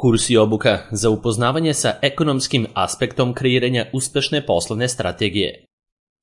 Kurs i obuka za upoznavanje sa ekonomskim aspektom kreiranja uspešne poslovne strategije.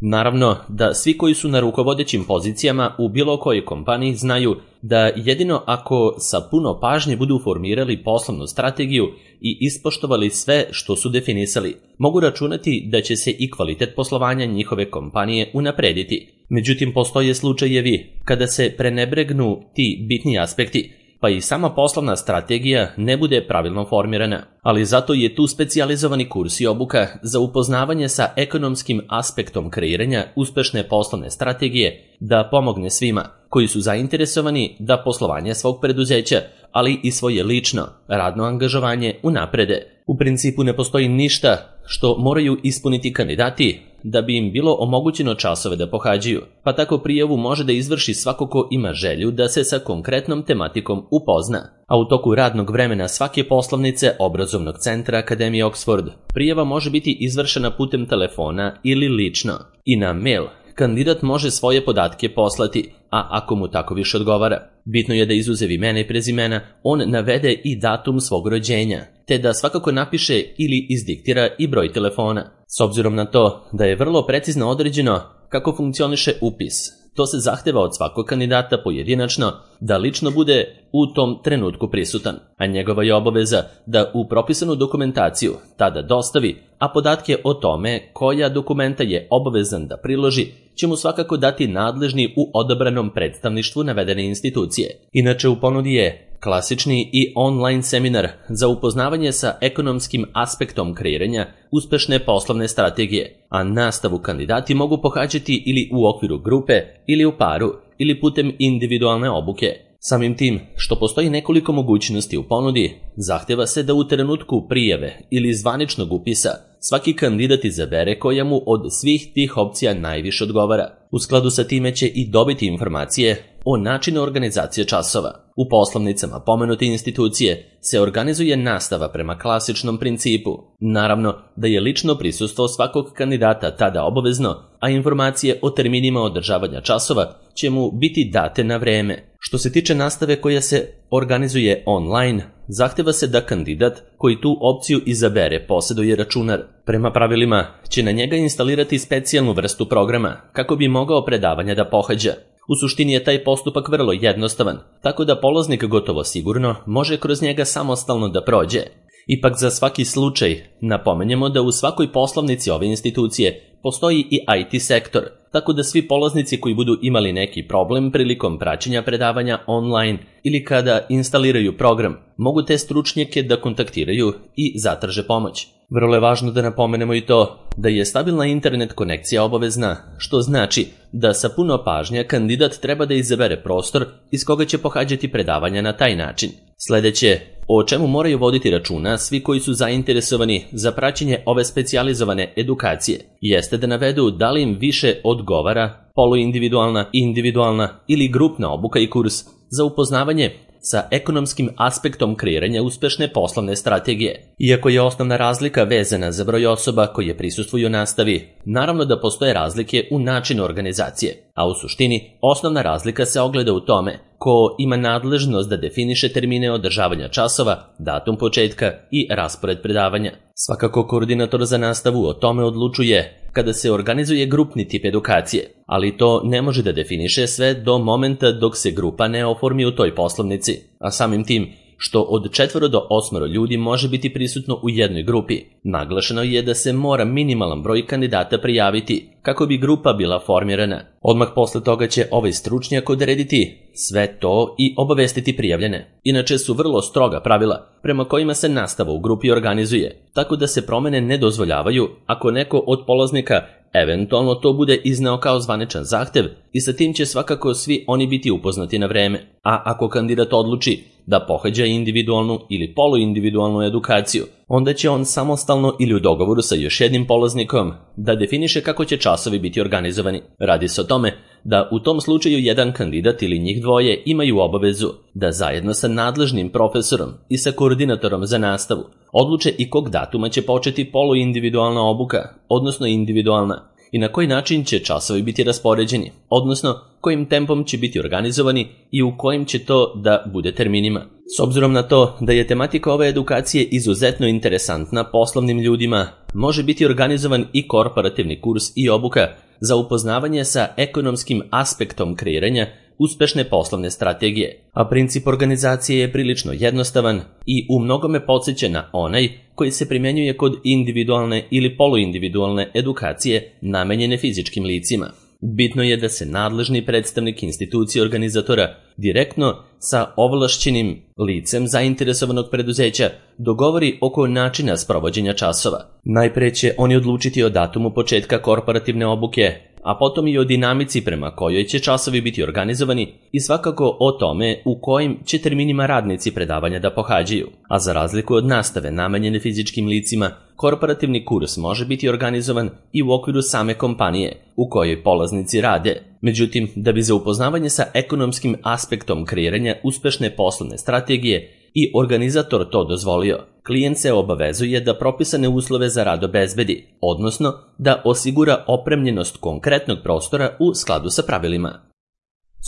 Naravno da svi koji su na rukovodećim pozicijama u bilo kojoj kompaniji znaju da jedino ako sa puno pažnje budu formirali poslovnu strategiju i ispoštovali sve što su definisali, mogu računati da će se i kvalitet poslovanja njihove kompanije unaprediti. Međutim, postoje slučajevi kada se prenebregnu ti bitni aspekti, pa i sama poslovna strategija ne bude pravilno formirana. Ali zato je tu specijalizovani kurs i obuka za upoznavanje sa ekonomskim aspektom kreiranja uspešne poslovne strategije da pomogne svima koji su zainteresovani da poslovanje svog preduzeća, ali i svoje lično radno angažovanje unaprede. U principu ne postoji ništa što moraju ispuniti kandidati da bi im bilo omogućeno časove da pohađaju, pa tako prijavu može da izvrši svako ko ima želju da se sa konkretnom tematikom upozna. A u toku radnog vremena svake poslovnice obrazovnog centra Akademije Oxford prijava može biti izvršena putem telefona ili lično i na mail. Kandidat može svoje podatke poslati, a ako mu tako više odgovara. Bitno je da izuzev imena i prezimena on navede i datum svog rođenja, te da svakako napiše ili izdiktira i broj telefona. S obzirom na to da je vrlo precizno određeno kako funkcioniše upis, to se zahteva od svakog kandidata pojedinačno da lično bude u tom trenutku prisutan, a njegova je obaveza da u propisanu dokumentaciju tada dostavi, a podatke o tome koja dokumenta je obavezan da priloži će mu svakako dati nadležni u odabranom predstavništvu navedene institucije. Inače, u ponudi je klasični i online seminar za upoznavanje sa ekonomskim aspektom kreiranja uspešne poslovne strategije, a nastavu kandidati mogu pohađati ili u okviru grupe, ili u paru, ili putem individualne obuke. Samim tim što postoji nekoliko mogućnosti u ponudi, zahteva se da u trenutku prijave ili zvaničnog upisa svaki kandidat izabere koja mu od svih tih opcija najviše odgovara. U skladu sa time će i dobiti informacije o načinu organizacije časova. U poslovnicama pomenute institucije se organizuje nastava prema klasičnom principu. Naravno da je lično prisustvo svakog kandidata tada obavezno, a informacije o terminima održavanja časova će mu biti date na vreme. Što se tiče nastave koja se organizuje online, zahteva se da kandidat koji tu opciju izabere posjeduje računar. Prema pravilima će na njega instalirati specijalnu vrstu programa kako bi mogao predavanja da pohađa. U suštini je taj postupak vrlo jednostavan, tako da polaznik gotovo sigurno može kroz njega samostalno da prođe. Ipak za svaki slučaj napomenjemo da u svakoj poslovnici ove institucije postoji i IT sektor, tako da svi polaznici koji budu imali neki problem prilikom praćenja predavanja online ili kada instaliraju program, mogu te stručnjake da kontaktiraju i zatraže pomoć. Vrlo je važno da napomenemo i to da je stabilna internet konekcija obavezna, što znači da sa puno pažnja kandidat treba da izabere prostor iz koga će pohađati predavanja na taj način. Sledeće, o čemu moraju voditi računa svi koji su zainteresovani za praćenje ove specijalizovane edukacije, jeste da navedu da li im više odgovara poluindividualna, individualna ili grupna obuka i kurs za upoznavanje sa ekonomskim aspektom kreiranja uspešne poslovne strategije. Iako je osnovna razlika vezana za broj osoba koje prisustvuju nastavi, naravno da postoje razlike u načinu organizacije, a u suštini osnovna razlika se ogleda u tome ko ima nadležnost da definiše termine održavanja časova, datum početka i raspored predavanja. Svakako koordinator za nastavu o tome odlučuje kada se organizuje grupni tip edukacije, ali to ne može da definiše sve do momenta dok se grupa ne oformi u toj poslovnici, a samim tim što od 4 do 8 ljudi može biti prisutno u jednoj grupi. Naglašeno je da se mora minimalan broj kandidata prijaviti kako bi grupa bila formirana. Odmah posle toga će ovaj stručnjak odrediti sve to i obavestiti prijavljene. Inače su vrlo stroga pravila prema kojima se nastava u grupi organizuje, tako da se promene ne dozvoljavaju ako neko od polaznika eventualno to bude izneo kao zvaničan zahtev i sa tim će svakako svi oni biti upoznati na vreme. A ako kandidat odluči da pohađa individualnu ili poluindividualnu edukaciju, onda će on samostalno ili u dogovoru sa još jednim polaznikom da definiše kako će časovi biti organizovani. Radi se o tome da u tom slučaju jedan kandidat ili njih dvoje imaju obavezu da zajedno sa nadležnim profesorom i sa koordinatorom za nastavu odluče i kog datuma će početi poluindividualna obuka, odnosno individualna, i na koji način će časovi biti raspoređeni, odnosno kojim tempom će biti organizovani i u kojim će to da bude terminima. S obzirom na to da je tematika ove edukacije izuzetno interesantna poslovnim ljudima, može biti organizovan i korporativni kurs i obuka za upoznavanje sa ekonomskim aspektom kreiranja uspešne poslovne strategije, a princip organizacije je prilično jednostavan i u mnogome podsjeća na onaj koji se primjenjuje kod individualne ili poluindividualne edukacije namenjene fizičkim licima. Bitno je da se nadležni predstavnik institucije organizatora direktno sa ovlašćenim licem zainteresovanog preduzeća dogovori oko načina sprovođenja časova. Najpre će oni odlučiti o datumu početka korporativne obuke, a potom i o dinamici prema kojoj će časovi biti organizovani i svakako o tome u kojim će terminima radnici predavanja da pohađaju. A za razliku od nastave namenjene fizičkim licima, korporativni kurs može biti organizovan i u okviru same kompanije u kojoj polaznici rade. Međutim, da bi za upoznavanje sa ekonomskim aspektom kreiranja uspešne poslovne strategije i organizator to dozvolio, klijent se obavezuje da propisane uslove za rad obezbedi, odnosno da osigura opremljenost konkretnog prostora u skladu sa pravilima.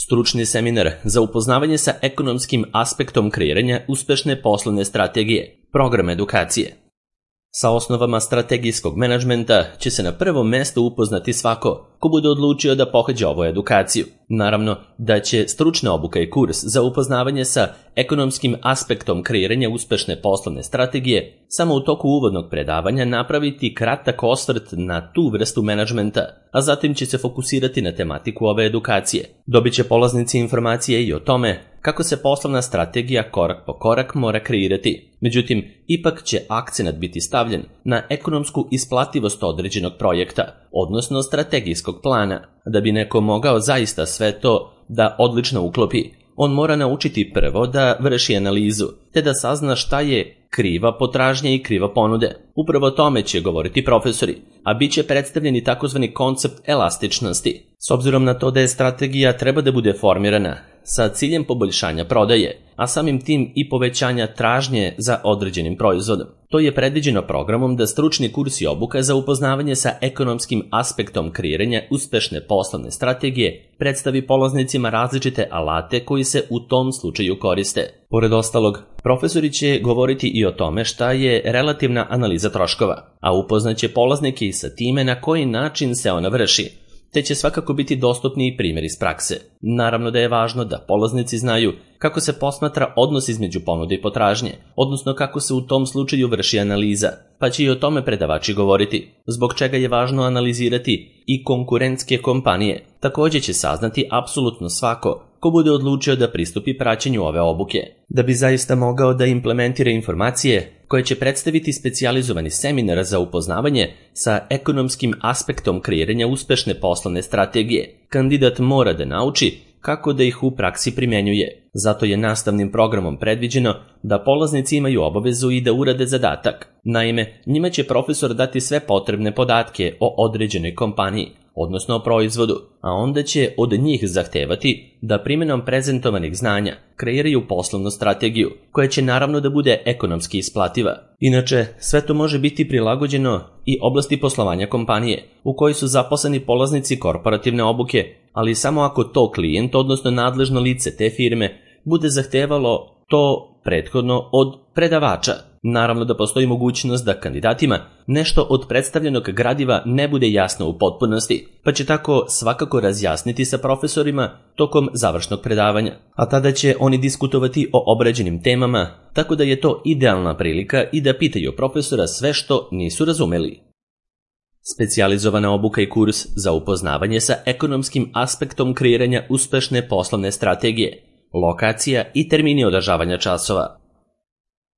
Stručni seminar za upoznavanje sa ekonomskim aspektom kreiranja uspešne poslovne strategije, program edukacije. Sa osnovama strategijskog menadžmenta će se na prvom mestu upoznati svako ko bude odlučio da pohađa ovu edukaciju. Naravno da će stručna obuka i kurs za upoznavanje sa ekonomskim aspektom kreiranja uspešne poslovne strategije samo u toku uvodnog predavanja napraviti kratak osvrt na tu vrstu menadžmenta, a zatim će se fokusirati na tematiku ove edukacije. Dobit će polaznici informacije i o tome kako se poslovna strategija korak po korak mora kreirati. Međutim, ipak će akcenat biti stavljen na ekonomsku isplativost određenog projekta, odnosno strategijskog plana. Da bi neko mogao zaista sve to da odlično uklopi, on mora naučiti prvo da vrši analizu, te da sazna šta je kriva potražnja i kriva ponude. Upravo o tome će govoriti profesori, a bit će predstavljeni takozvani koncept elastičnosti. S obzirom na to da je strategija treba da bude formirana sa ciljem poboljšanja prodaje, a samim tim i povećanja tražnje za određenim proizvodom. To je predviđeno programom da stručni kurs i obuka za upoznavanje sa ekonomskim aspektom kreiranja uspešne poslovne strategije predstavi polaznicima različite alate koji se u tom slučaju koriste. Pored ostalog, profesori će govoriti i o tome šta je relativna analiza troškova, a upoznaće polaznike i sa time na koji način se ona vrši, te će svakako biti dostupni i primjer iz prakse. Naravno da je važno da polaznici znaju kako se posmatra odnos između ponude i potražnje, odnosno kako se u tom slučaju vrši analiza, pa će i o tome predavači govoriti, zbog čega je važno analizirati i konkurentske kompanije. Također će saznati apsolutno svako ko bude odlučio da pristupi praćenju ove obuke. Da bi zaista mogao da implementira informacije koje će predstaviti specijalizovani seminar za upoznavanje sa ekonomskim aspektom kreiranja uspešne poslovne strategije, kandidat mora da nauči kako da ih u praksi primjenjuje. Zato je nastavnim programom predviđeno da polaznici imaju obavezu i da urade zadatak. Naime, njima će profesor dati sve potrebne podatke o određenoj kompaniji, odnosno o proizvodu, a onda će od njih zahtevati da primjenom prezentovanih znanja kreiraju poslovnu strategiju, koja će naravno da bude ekonomski isplativa. Inače, sve to može biti prilagođeno i oblasti poslovanja kompanije, u kojoj su zaposleni polaznici korporativne obuke, ali samo ako to klijent, odnosno nadležno lice te firme, bude zahtevalo to prethodno od predavača. Naravno da postoji mogućnost da kandidatima nešto od predstavljenog gradiva ne bude jasno u potpunosti, pa će tako svakako razjasniti sa profesorima tokom završnog predavanja. A tada će oni diskutovati o obrađenim temama, tako da je to idealna prilika i da pitaju profesora sve što nisu razumeli. Specijalizovana obuka i kurs za upoznavanje sa ekonomskim aspektom kreiranja uspešne poslovne strategije, lokacija i termini održavanja časova.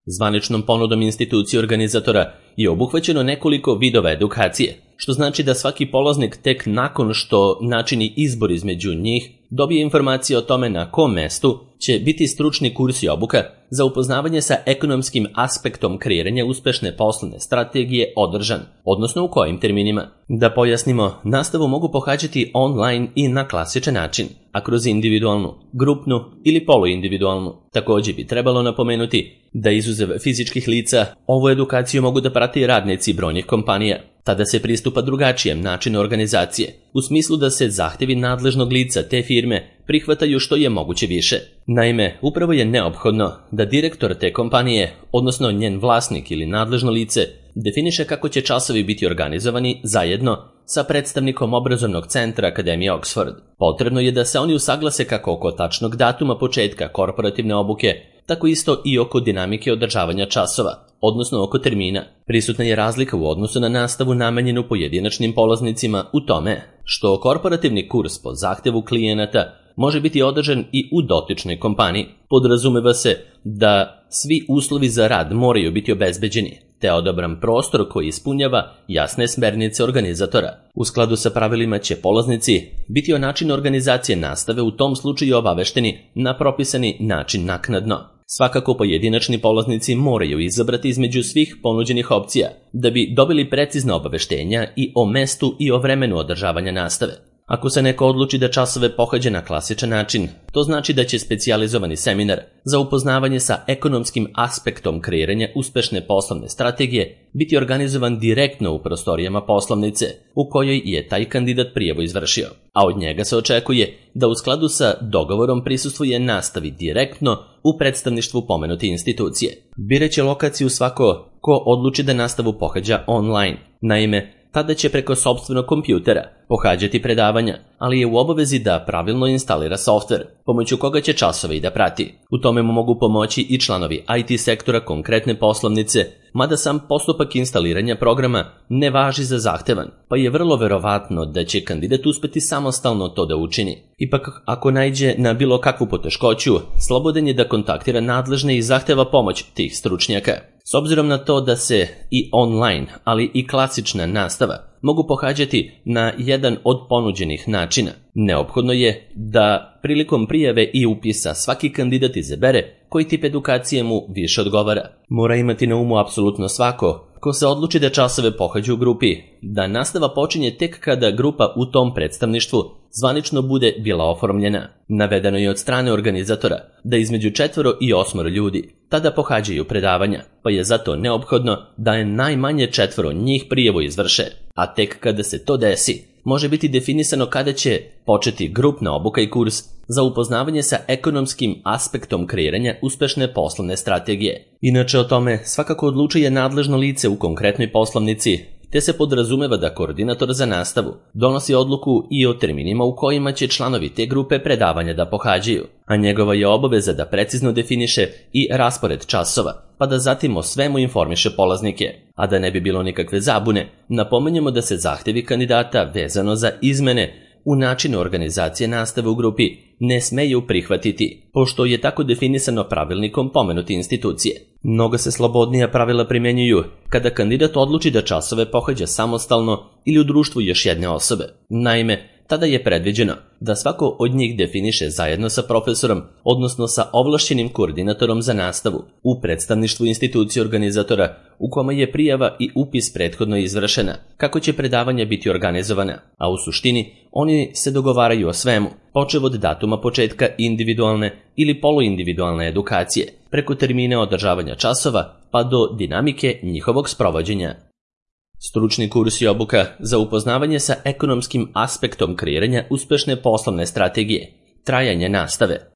Zvaničnom ponudom institucije organizatora je obuhvaćeno nekoliko vidova edukacije, što znači da svaki polaznik tek nakon što načini izbor između njih dobije informacije o tome na kom mestu će biti stručni kurs i obuka za upoznavanje sa ekonomskim aspektom kreiranja uspešne poslovne strategije održan, odnosno u kojim terminima. Da pojasnimo, nastavu mogu pohađati online i na klasičan način, a kroz individualnu, grupnu ili poluindividualnu. Također bi trebalo napomenuti da izuzev fizičkih lica, ovu edukaciju mogu da prate i radnici brojnih kompanija. Tada se pristupa drugačijem načinu organizacije, u smislu da se zahtevi nadležnog lica te firme prihvataju što je moguće više. Naime, upravo je neophodno da direktor te kompanije, odnosno njen vlasnik ili nadležno lice, definiše kako će časovi biti organizovani zajedno sa predstavnikom obrazovnog centra Akademije Oxford. Potrebno je da se oni usaglase kako oko tačnog datuma početka korporativne obuke, tako isto i oko dinamike održavanja časova, odnosno oko termina. Prisutna je razlika u odnosu na nastavu namenjenu pojedinačnim polaznicima u tome što korporativni kurs po zahtevu klijenata može biti održan i u dotičnoj kompaniji. Podrazumeva se da svi uslovi za rad moraju biti obezbeđeni, te odabran prostor koji ispunjava jasne smernice organizatora. U skladu sa pravilima će polaznici biti o načinu organizacije nastave u tom slučaju obavešteni na propisani način naknadno. Svakako pojedinačni polaznici moraju izabrati između svih ponuđenih opcija da bi dobili precizna obaveštenja i o mestu i o vremenu održavanja nastave. Ako se neko odluči da časove pohađa na klasičan način, to znači da će specijalizovani seminar za upoznavanje sa ekonomskim aspektom kreiranja uspešne poslovne strategije biti organizovan direktno u prostorijama poslovnice u kojoj je taj kandidat prijavu izvršio, a od njega se očekuje da u skladu sa dogovorom prisustvuje nastavi direktno u predstavništvu pomenute institucije. Biraće lokaciju svako ko odluči da nastavu pohađa online. Naime, tada će preko sopstvenog kompjutera pohađati predavanja, ali je u obavezi da pravilno instalira softver, pomoću koga će časove i da prati. U tome mu mogu pomoći i članovi IT sektora konkretne poslovnice, mada sam postupak instaliranja programa ne važi za zahtevan, pa je vrlo verovatno da će kandidat uspeti samostalno to da učini. Ipak, ako naiđe na bilo kakvu poteškoću, slobodan je da kontaktira nadležne i zahteva pomoć tih stručnjaka. S obzirom na to da se i online, ali i klasična nastava mogu pohađati na jedan od ponuđenih načina, neophodno je da prilikom prijave i upisa svaki kandidat izabere koji tip edukacije mu više odgovara. Mora imati na umu apsolutno svako ko se odluči da časove pohađa u grupi, da nastava počinje tek kada grupa u tom predstavništvu zvanično bude bila oformljena. Navedeno je od strane organizatora da između 4 i 8 ljudi tada pohađaju predavanja, pa je zato neophodno da je najmanje 4 njih prijavu izvrše, a tek kada se to desi, može biti definisano kada će početi grupna obuka i kurs za upoznavanje sa ekonomskim aspektom kreiranja uspešne poslovne strategije. Inače o tome svakako odlučuje nadležno lice u konkretnoj poslovnici, te se podrazumeva da koordinator za nastavu donosi odluku i o terminima u kojima će članovi te grupe predavanja da pohađaju, a njegova je obaveza da precizno definiše i raspored časova, pa da zatim o svemu informiše polaznike. A da ne bi bilo nikakve zabune, napomenjemo da se zahtevi kandidata vezano za izmene u načinu organizacije nastave u grupi ne smeju prihvatiti, pošto je tako definisano pravilnikom pomenute institucije. Mnogo se slobodnija pravila primjenjuju kada kandidat odluči da časove pohađa samostalno ili u društvu još jedne osobe. Naime, tada je predviđeno da svako od njih definiše zajedno sa profesorom, odnosno sa ovlašćenim koordinatorom za nastavu, u predstavništvu institucije organizatora u kome je prijava i upis prethodno izvršena, kako će predavanja biti organizovana, a u suštini oni se dogovaraju o svemu, počev od datuma početka individualne ili poluindividualne edukacije, preko termina održavanja časova pa do dinamike njihovog sprovođenja. Stručni kurs i obuka za upoznavanje sa ekonomskim aspektom kreiranja uspešne poslovne strategije, trajanje nastave.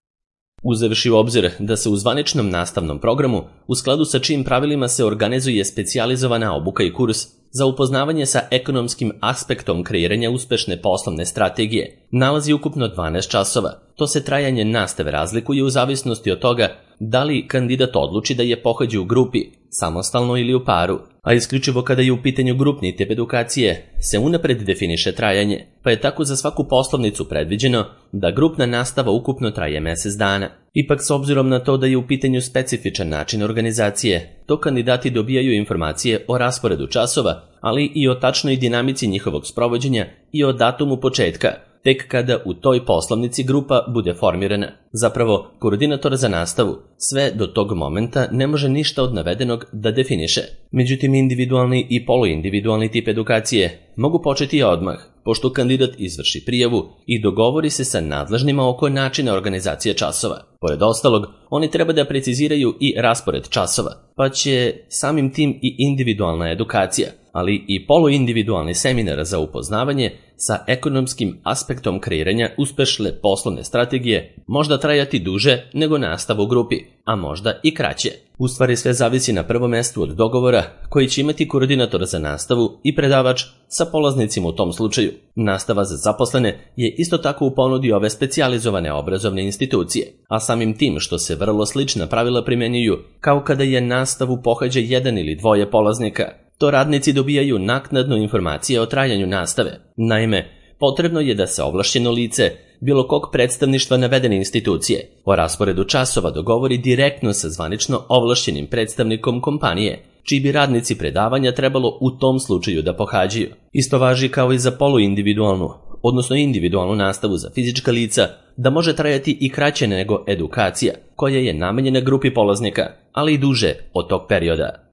Uzevši u obzir da se u zvaničnom nastavnom programu, u skladu sa čijim pravilima se organizuje specijalizovana obuka i kurs za upoznavanje sa ekonomskim aspektom kreiranja uspešne poslovne strategije, nalazi ukupno 12 časova. To se trajanje nastave razlikuje u zavisnosti od toga da li kandidat odluči da je pohađa u grupi, samostalno ili u paru, a isključivo kada je u pitanju grupni tip edukacije se unapred definiše trajanje, pa je tako za svaku poslovnicu predviđeno da grupna nastava ukupno traje mjesec dana. Ipak s obzirom na to da je u pitanju specifičan način organizacije, to kandidati dobijaju informacije o rasporedu časova, ali i o tačnoj dinamici njihovog sprovođenja i o datumu početka, tek kada u toj poslovnici grupa bude formirana. Zapravo, koordinator za nastavu sve do tog momenta ne može ništa od navedenog da definiše. Međutim, individualni i poluindividualni tip edukacije mogu početi odmah, pošto kandidat izvrši prijavu i dogovori se sa nadležnima oko načina organizacije časova. Pored ostalog, oni treba da preciziraju i raspored časova, pa će samim tim i individualna edukacija ali i poluindividualni seminar za upoznavanje sa ekonomskim aspektom kreiranja uspešne poslovne strategije možda trajati duže nego nastava u grupi, a možda i kraće. U stvari sve zavisi na prvom mestu od dogovora koji će imati koordinator za nastavu i predavač sa polaznicima u tom slučaju. Nastava za zaposlene je isto tako u ponudi ove specijalizovane obrazovne institucije, a samim tim što se vrlo slična pravila primenjuju kao kada je nastavu pohađa jedan ili dvoje polaznika, to radnici dobijaju naknadno informacije o trajanju nastave. Naime, potrebno je da se ovlašćeno lice bilo kog predstavništva navedene institucije o rasporedu časova dogovori direktno sa zvanično ovlašćenim predstavnikom kompanije, čiji bi radnici predavanja trebalo u tom slučaju da pohađaju. Isto važi kao i za poluindividualnu, odnosno individualnu nastavu za fizička lica, da može trajati i kraće nego edukacija, koja je namenjena grupi polaznika, ali i duže od tog perioda.